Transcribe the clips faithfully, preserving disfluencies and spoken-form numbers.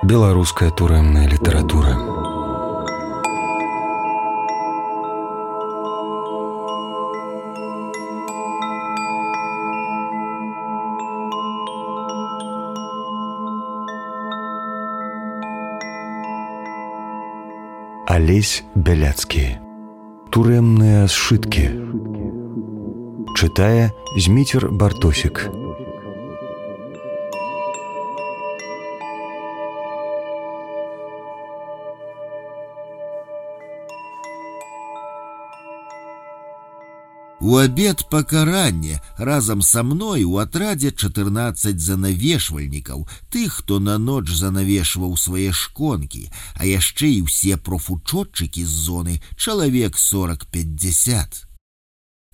Беларуская турэмная літаратура. Алесь Бяляцкі. Турэмныя сшыткі. Чытае Зміцер Бартосік. У абед пакарання разам са мной у атрадзе чатырнаццаць занавешвальнікаў, тых, хто на ноч занавешваў свае шконкі, а яшчэ і ўсе профучотчыкі з зоны, чалавек сорок-пятьдесят.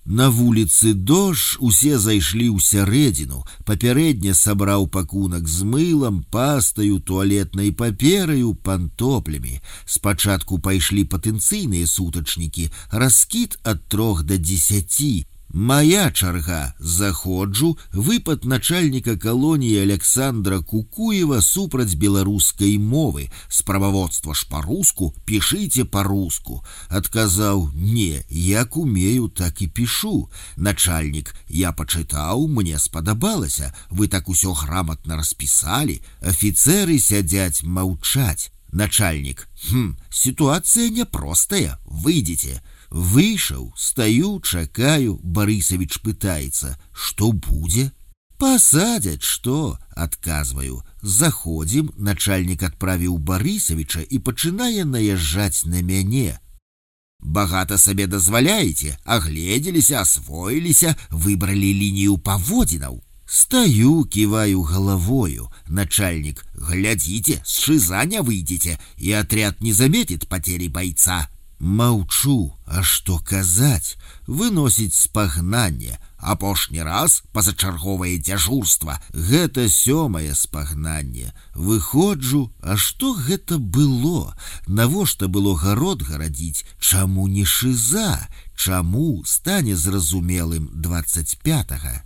На вуліцы дождж, усе зайшлі ў сярэдзіну, папярэдне сабраў пакунак з мылам, пастаю, туалетнай папераю, пантоплямі. Спачатку пайшлі патэнцыйныя сутачнікі, раскід ад трох да дзесяці. Мая чарга, заходжу, выпад начальніка калоніі Александра Кукуева супраць беларускай мовы. Справаводства ж па-руску, пішыце па-руску. Адказаў: не, як умею, так і пішу. Начальнік: я пачытаў, мне спадабалася, вы так усё грамотна распісалі. Афіцеры сядзяць маўчаць. Начальнік: хм, ситуация непростая, выйдите. Выйшаў, стаю, чакаю, Барысавіч пытаецца: што будзе? Пасадзяць, што? Адказваю. Заходзім, начальнік адправіў Барысавіча і пачынае наязджаць на мяне. Багата сабе дазваляеце, агледзеліся, асвоіліся, выбралі лінію паводзінаў. Стаю, ківаю галавою. Начальник: глядите, с шиза не выйдете, и отряд не заметит потери бойца. Маўчу, а што казаць? Выносіць спагнанне. Апошні раз пазачарговае дзяжурства. Гэта сёмае спагнанне. Выходжу, а што гэта было? Навошта было гарод гарадзіць? Чаму не шыза? Чаму, стане зразумелым двадцать пятага.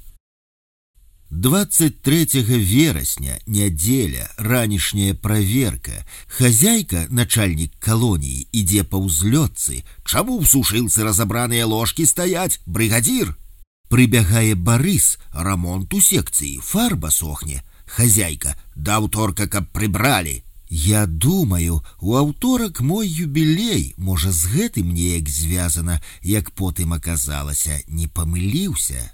двадцать третьего верасня, нядзеля, ранішняя праверка. Хозяйка, начальник колонии, ідзе па ўзлётцы. Чаму в сушылцы разобраныя ложки стаять, бригадир? Прыбягае Барыс, рамонт у секцыі, фарба сохне. Хозяйка: да аўторка, каб прыбралі. Я думаю, у аўторак мой юбілей, можа з гэтым неяк звязана, як потым аказалася, не памыліўся.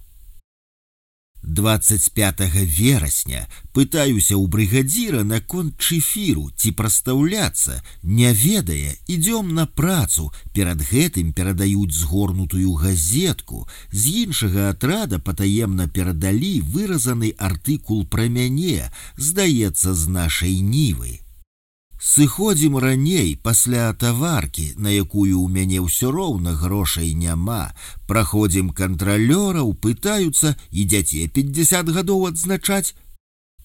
двадцать пятого верасня пытаюся ў брыгадзіра наконт чэфіру, ці прастаўляцца, не ведае, ідём на працу, перад гэтым перадаюць згорнутую газетку, з іншага атрада патаемна перадалі выразаны артыкул пра мяне, здаецца, з нашай нівы. Сыходзім раней, пасля таваркі, на якую ў мяне ўсё роўна грошай няма. Праходзім кантралёраў, пытаюцца: ідзяце пятьдесят гадоў адзначаць?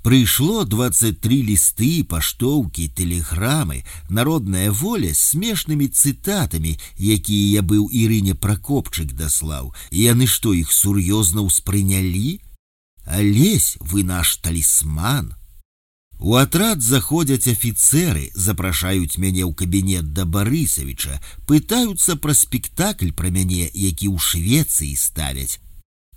Прыйшло двадцать три лісты, паштоўкі, тэлеграмы, народная воля з смешнымі цытатамі, якія я быў Ірыне Пракопчык даслаў. Яны што, іх сур'ёзна ўспрынялі? Алесь, вы наш талісман. У атрад заходзяць афіцеры, запрашаюць мяне ў кабінет да Барысавіча, пытаюцца пра спектакль пра мяне, які ў Швецыі ставяць.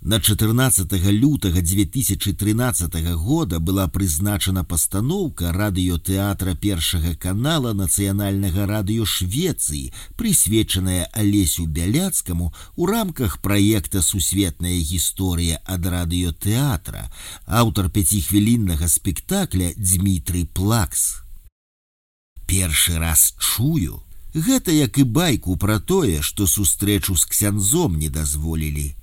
На чатырнаццатага лютага две тысячи тринадцатого года была прызначана пастаноўка радыётэатра першага канала нацыянальнага радыё Швецыі, прысвечаная Алесю Бяляцкаму у рамках праекта «Сусветная гісторыя ад радыётэатра», аўтар пяцихвіліннага спектакля Дзмітрый Плакс. Першы раз чую. Гэта як і байку пра тое, што сустрэчу з ксяндзом не дазволілі.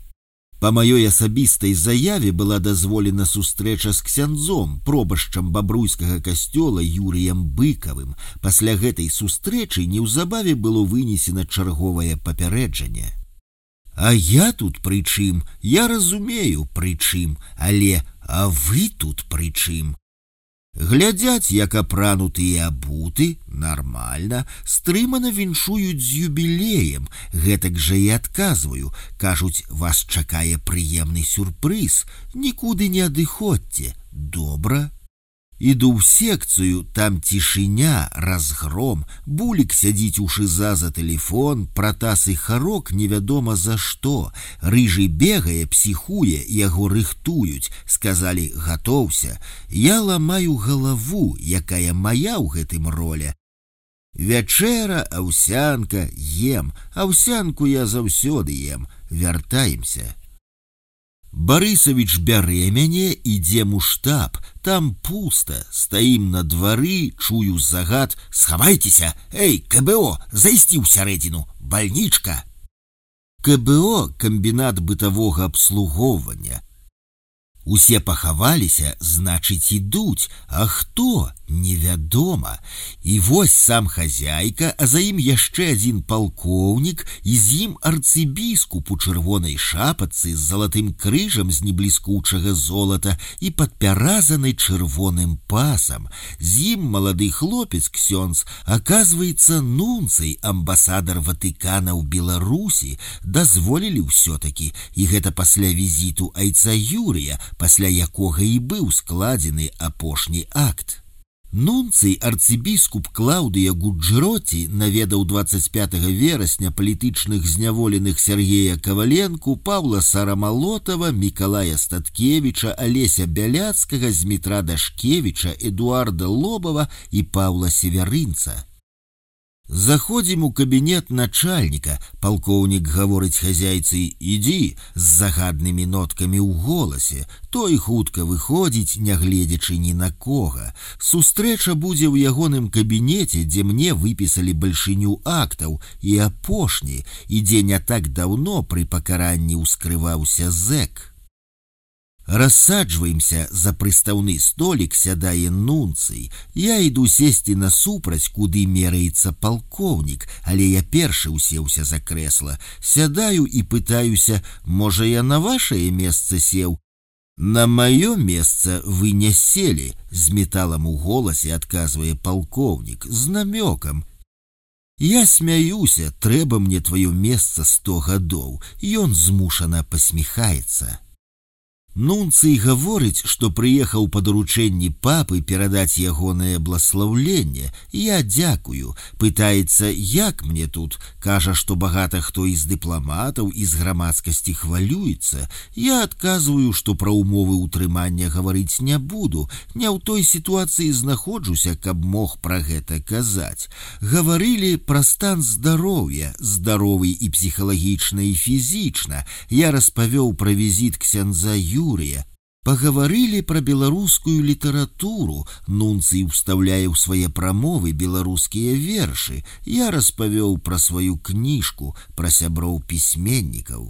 Па маёй асабістай заяве была дазволена сустрэча з ксяндзом, пробашчам бабруйскага касцёла Юрыем Быкавым. Пасля гэтай сустрэчы неўзабаве было вынесена чарговае папярэджанне. А я тут пры чым? Я разумею, пры чым, але а вы тут пры чым? Глядзяць, як апрануты і абуты, нармальна, стрымана віншуюць з юбілеем, гэтак жа і адказваю, кажуць, вас чакае прыемны сюрпрыз, нікуды не адыходзьце, добра. Іду ў секцыю, там цішыня, разгром, булік сядзіць у шыза за тэлефон, Пратас і Харок невядома за што. Рыжы бегае, псіхуе, яго рыхтуюць, сказалі гатоўся. Я ламаю галаву, якая мая ў гэтым роля. Вячэра, аўсянка, ем, аўсянку я заўсёды ем, вяртаемся. Барысавіч бярэ мяне, ідзем у штаб, там пуста, стаім на двары, чую загад: схавайцеся, эй, ка бэ о, зайсці ўсярэдзіну, бальнічка. ка бэ о – камбінат бытавога абслугоўвання. Усе пахаваліся, значыць, ідуць, а хто? Невядома. І вось сам хазяйка, а за ім яшчэ адзін палкоўнік, і з ім арцыбіскуп у чырвонай шапачцы з залатым крыжам з небліскучага золата і падпяразанай чырвоным пасам. З ім малады хлопец ксёндз, аказваецца, нунцый, амбасадар Ватыкана ў Беларусі, дазволілі ўсё-такі, і гэта пасля візіту айца Юрыя, пасля якога і быў складзены апошні акт. Нунцый арцыбіскуп Клаўдыя Гуджэроці наведаў дваццаць пятага верасня палітычных зняволеных Сергея Каваленку, Паўла Сарамалотава, Мікалая Статкевіча, Алеся Бяляцкага, Змітра Дашкевіча, Эдуарда Лобава і Паўла Северынца. Заходзім у кабінет начальніка, палкоўнік гаворыць хазяйцы: «Ідзі», з загаднымі ноткамі ў голасе. Той хутка выходзіць, нягледзячы ні на кога. Сустрэча будзе ў ягоным кабінеце, дзе мне выпісалі бальшыню актаў, і апошні, і дзе не так даўно пры пакаранні ўскрываўся зэк. Рассаджваемся за прыстаўны столік, сядае нунцый. Я іду сесці насупраць, куды мераецца палкоўнік, але я першы усеўся за крэсла. Сядаю і пытаюся: можа, я на вашае месца сеў? На маё месца вы не селі, з металам у голасе адказвае палкоўнік, з намёкам. Я смяюся, трэба мне тваё месца сто гадоў. Ён змушана пасміхаецца. Нунцый гаворыць, што прыехаў па даручэнні папы перадаць ягонае бласлаўленне. Я дзякую. Пытаецца, як мне тут. Кажа, што багата хто і з дыпламатаў, і з грамадскасці хвалюецца. Я адказваю, што пра ўмовы ўтрымання гаварыць не буду. Не ў той сітуацыі знаходжуся, каб мог пра гэта казаць. Гаварылі пра стан здароўя, здаровы і псіхалагічна, і фізічна. Я распавёў пра візіт ксяндза Юрыя. Пагаварылі пра беларускую літаратуру. Нунцый устаўляе ў свае прамовы беларускія вершы. Я распавёў пра сваю кніжку, пра сяброў пісьменнікаў.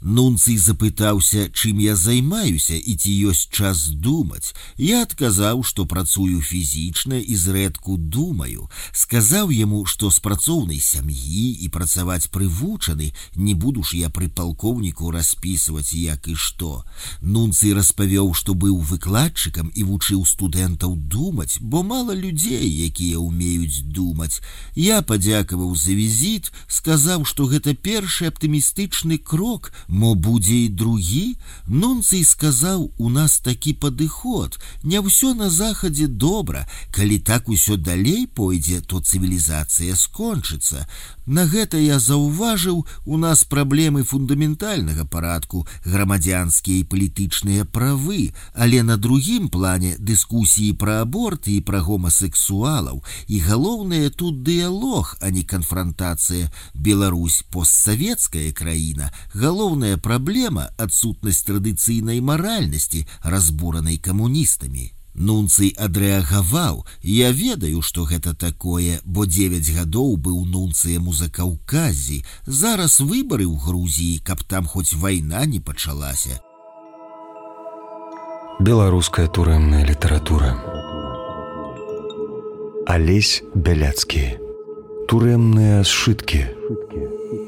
Нунцый запытаўся, чым я займаюся і ці ёсць час думаць. Я адказаў, што працую фізічна і зрэдку думаю. Сказаў яму, што з працоўнай сям'і і працаваць прывучаны, не буду ж я пры палкоўніку распісваць як і што. Нунцый распавёў, што быў выкладчыкам і вучыў студэнтаў думаць, бо мала людзей, якія ўмеюць думаць. Я падзякаваў за візіт, сказаў, што гэта першы аптымістычны крок, мо будзе і другі. Нунцый сказаў, у нас такі падыход, не ўсё на захадзе добра, калі так усё далей пойдзе, то цывілізацыя скончыцца. На гэта я заўважыў, у нас праблемы фундаментальнага парадку, грамадзянскія і палітычныя правы, але на другім плане дыскусіі пра аборты і пра гомасексуалаў, і галоўнае тут дыялог, а не канфрантацыя. Беларусь постсавецкая краіна, галоўнае Галоўная праблема – адсутнасць традыцыйнай маральнасці, разбуранай камуністамі. Нунцый адрэагаваў: я ведаю, што гэта такое, бо дзевяць гадоў быў нунцыем у Закаўказі. Зараз выбары ў Грузіі, каб там хоць вайна не пачалася. Беларуская турэмная літаратура. Алесь Бяляцкі. Турэмныя сшыткі.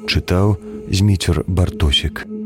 Чытаў Зміцер Бартосік.